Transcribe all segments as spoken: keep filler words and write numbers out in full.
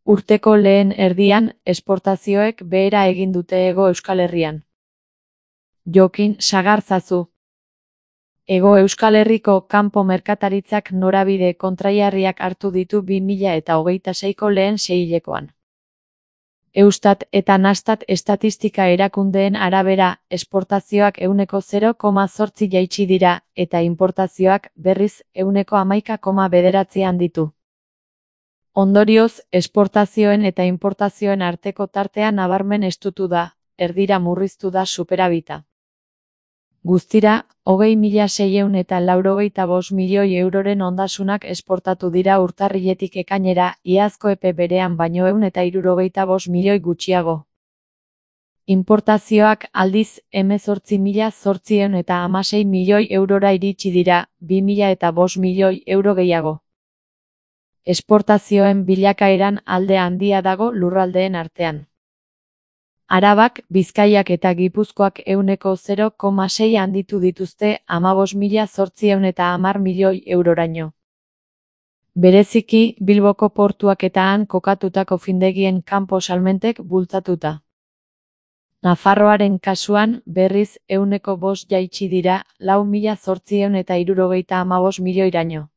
Urteko lehen erdian, esportazioek behera egin dute Hego Euskal Herrian. Jokin Sagarzazu. Hego Euskal Herriko kanpo merkataritzak norabide kontrajarriak hartu ditu bi mila eta hogeita seiko lehen seihilekoan. Eustat eta Nastat estatistika erakundeen arabera, esportazioak ehuneko zero koma zortzi jaitsi dira, eta inportazioak, berriz, ehuneko hamaika koma bederatzi handitu. Ondorioz, esportazioen eta inportazioen arteko tartea nabarmen estutu da, erdira murriztu da superabita. Guztira, hogei mila seiehun eta laurogeita bost milioi euroren ondasunak esportatu dira urtarriletik ekainera, iazko epe berean baino ehun eta hirurogeita bost milioi gutxiago. Inportazioak aldiz hemezortzi mila zortziehun eta hamasei milioi eurora iritsi dira, bi mila eta bost milioi euro gehiago. Esportazioen bilakaeran alde handia dago lurraldeen artean. Arabak, Bizkaiak eta Gipuzkoak ehuneko zero koma sei handitu dituzte hamabost mila zortziehun eta hamar milioi euroraino. Bereziki, Bilboko portuak eta han kokatutako findegien kanpo salmentek bultzatuta. Nafarroaren kasuan, berriz, ehuneko bost jaitsi dira, lau mila zortziehun eta hirurogeita hamabost milioiraino.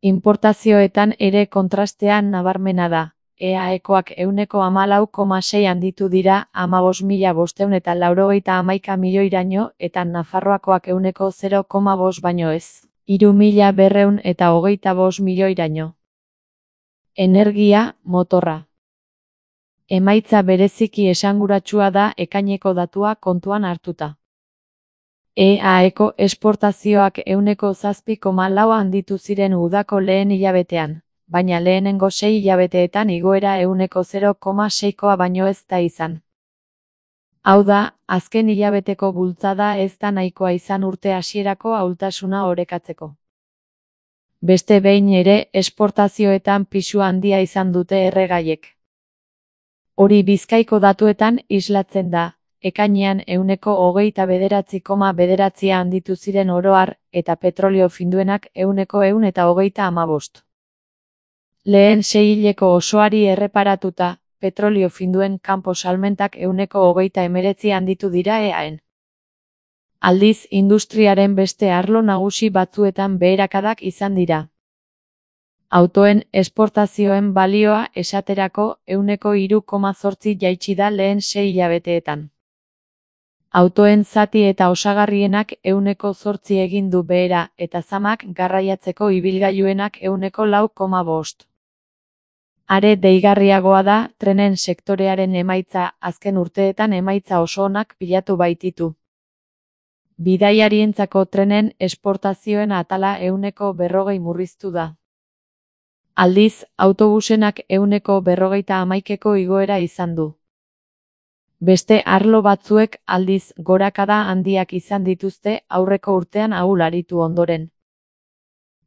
Inportazioetan ere kontrastean nabarmena da. E A Ekoak ehuneko hamalau koma sei handitu dira hamabost mila bostehun eta laurogeita hamaika milioiraino eta Nafarroakoak ehuneko zero koma bost baino ez, hiru mila berrehun eta hogeita bost milioiraino. Energia, motorra. Emaitza bereziki esanguratsua da ekaineko datua kontuan hartuta. E A Eko esportazioak ehuneko zazpi koma lau handitu ziren udako lehen hilabetean, baina lehenengo sei hilabeteetan igoera ehuneko zero koma seikoa baino ez da izan. Hau da, azken hilabeteko bultzada ez da nahikoa izan urte hasierako ahultasuna orekatzeko. Beste behin ere, esportazioetan pisu handia izan dute erregaiek. Hori Bizkaiko datuetan islatzen da, ekainean ehuneko hogeita bederatzi koma bederatzi handitu ziren oro har, eta petrolio finduenak ehuneko ehun eta hogeita hamabost. Lehen seihileko osoari erreparatuta, petrolio finduen kanpo salmentak ehuneko hogeita hemeretzi handitu dira eaen. Aldiz, industriaren beste arlo nagusi batzuetan beherakadak izan dira. Autoen esportazioen balioa esaterako ehuneko hiru koma zortzi jaitsi da lehen sei hilabeteetan. Autoen zati eta osagarrienak ehuneko zortzi egin du behera eta zamak garraiatzeko ibilgailuenak ehuneko lau koma bost. Are deigarriagoa da, trenen sektorearen emaitza azken urteetan emaitza oso onak bilatu baititu. Bidaiarientzako trenen esportazioen atala ehuneko berrogei murriztu da. Aldiz, autobusenak ehuneko berrogeita hamaikeko igoera izan du. Beste arlo batzuek aldiz gorakada handiak izan dituzte aurreko urtean ahul aritu ondoren.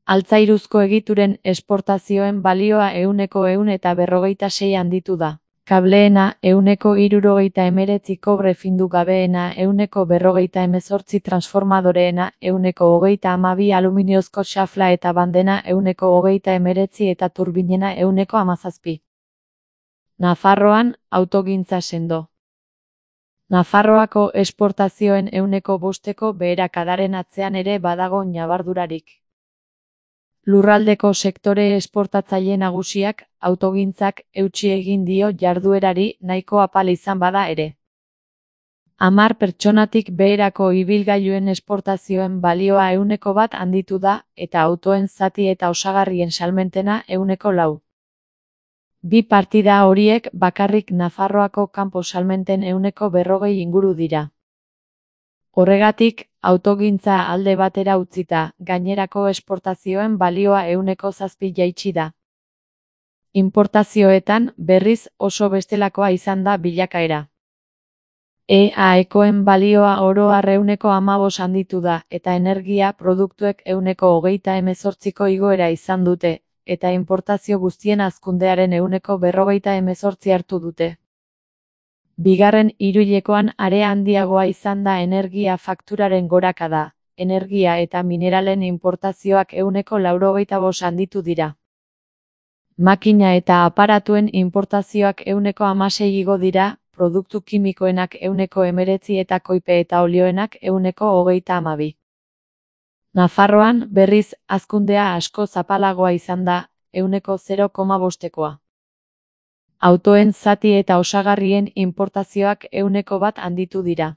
Altzairuzko egituren esportazioen balioa ehuneko ehun eta berrogeita sei handitu da. Kableena ehuneko hirurogeita hemeretzi kobre findu gabeena ehuneko berrogeita hemezortzi transformadoreena ehuneko hogeita hamabi aluminiozko xafla eta bandena ehuneko hogeita hemeretzi eta turbinena ehuneko hamazazpi. Nafarroan, autogintza sendo. Nafarroako esportazioen ehuneko bosteko beherakadaren atzean ere badago ñabardurarik. Lurraldeko sektore esportatzaile nagusiak, autogintzak eutsi egin dio jarduerari nahiko apal izan bada ere. Hamar pertsonatik beherako ibilgailuen esportazioen balioa ehuneko bat handitu da, eta autoen zati eta osagarrien salmentena ehuneko lau. Bi partida horiek bakarrik Nafarroako kanpo salmenten ehuneko berrogei inguru dira. Horregatik, autogintza alde batera utzita, gainerako esportazioen balioa ehuneko zazpi jaitsi da. Inportazioetan, berriz, oso bestelakoa izan da bilakaera. E A Ekoen balioa oro har ehuneko hamabost handitu da, eta energia produktuek ehuneko hogeita hemezortziko igoera izan dute, eta inportazio guztien hazkundearen ehuneko berrogeita hemezortzi hartu dute. Bigarren hiruhilekoan are handiagoa izan da energia fakturaren gorakada, energia eta mineralen inportazioak ehuneko laurogeita bost handitu dira. Makina eta aparatuen inportazioak ehuneko hamasei igo dira, produktu kimikoenak ehuneko hemeretzi eta koipe eta olioenak ehuneko hogeita hamabi. Nafarroan, berriz, hazkundea asko zapalagoa izan da, ehuneko zero koma bostekoa. Autoen zati eta osagarrien inportazioak ehuneko bat handitu dira.